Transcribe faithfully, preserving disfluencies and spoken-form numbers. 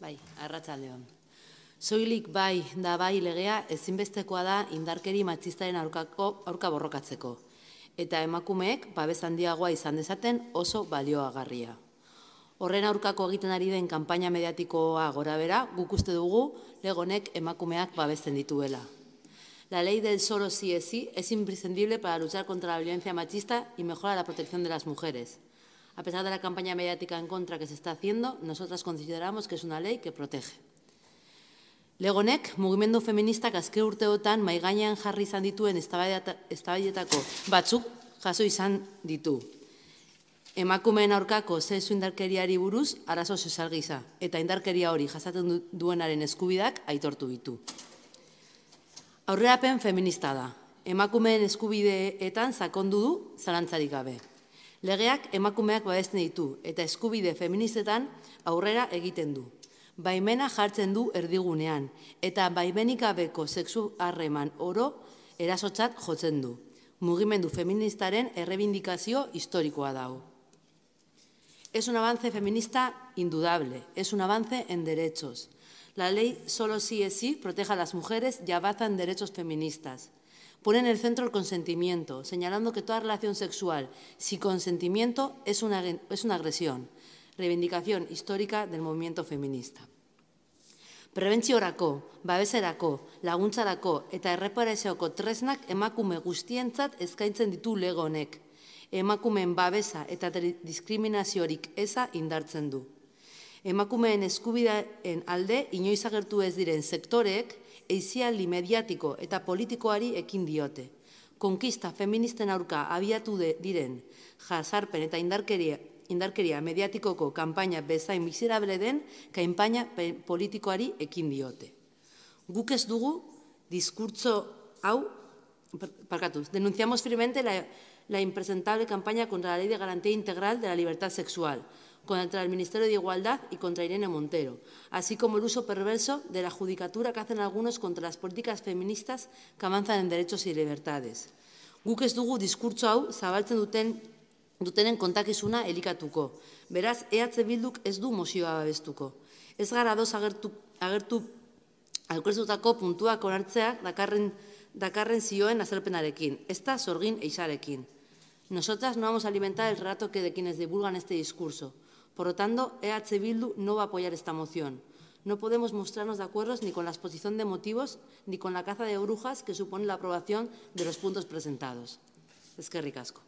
Bai, arratsaldeon. Soilik bai da bai legea ezinbestekoa da indarkeri matxistaren aurkako aurka borrokatzeko eta emakumeek babes handiagoa izan dezaten oso balioagarria. Horren aurkako egiten ari den kanpaina mediatikoa gorabehera, guk uste dugu lege honek emakumeak babesten dituela. La ley del solo sí es sí es imprescindible para luchar contra la violencia machista y mejorar la protección de las mujeres. A pesar de la campaña mediática en contra que se está haciendo, nosotras consideramos que es una ley que protege. Lege honek mugimendu feministak azken urteotan mahai gainean jarri izan dituen eztabaidetako batzuk jaso izan ditu. Emakumeen aurkako sexu indarkeriari buruz arazo sozial gisa eta indarkeria hori jasaten duenaren eskubideak aitortu ditu. Aurrerapen feminista da. Emakumeen eskubideetan sakondu du zalantzarik gabe. Legeak emakumeak babesten ditu eta eskubide feministetan aurrera egiten du. Baimena jartzen du erdigunean eta baimenik gabeko sexu harreman oro erasotzat jotzen du. Mugimendu feministaren errebindikazio historikoa dago. Es un avance feminista indudable, es un avance en derechos. La ley solo sí es sí protege a las mujeres y avanza en derechos feministas. Pone en el centro el consentimiento, señalando que toda relación sexual sin consentimiento es una, es una agresión. Reivindicación histórica del movimiento feminista. Prebentziorako, babeserako, laguntzarako eta erreparazioko tresnak emakume guztientzat eskaintzen ditu lege honek. Emakumeen babesa eta diskriminaziorik eza indartzen du. Emakumeen eskubideen alde inoiz agertu ez diren sektoreek eizialdi mediatiko eta politikoari ekin diote. Konkista feministen aurka abiatu diren jazarpen eta indarkeria indarkeria mediatikoko kanpaina bezain miserable den kanpaina politikoari ekin diote. Guk ez dugu diskurtso hau, parkatuz, denunciamos firmemente la, la impresentable campaña contra la Ley de Garantía Integral de la Libertad Sexual, contra el Ministerio de Igualdad y contra Irene Montero, así como el uso perverso de la judicatura que hacen algunos contra las políticas feministas que avanzan en derechos y libertades. Guk ez dugu diskurtso hau zabaltzen duten dutenen kontakizuna elikatuko. Beraz, E H Bilduk ez du mozioa babestuko. Ez gara ados agertu, agertu aurkeztutako puntuak onartzeak dakarren, dakarren zioen azalpenarekin, ez da sorgin eizarekin. Nosotras no vamos a alimentar el relato que de quienes divulgan este discurso. Por lo tanto, E H Bildu no va a apoyar esta moción. No podemos mostrarnos de acuerdo ni con la exposición de motivos ni con la caza de brujas que supone la aprobación de los puntos presentados. Eskerrik asko.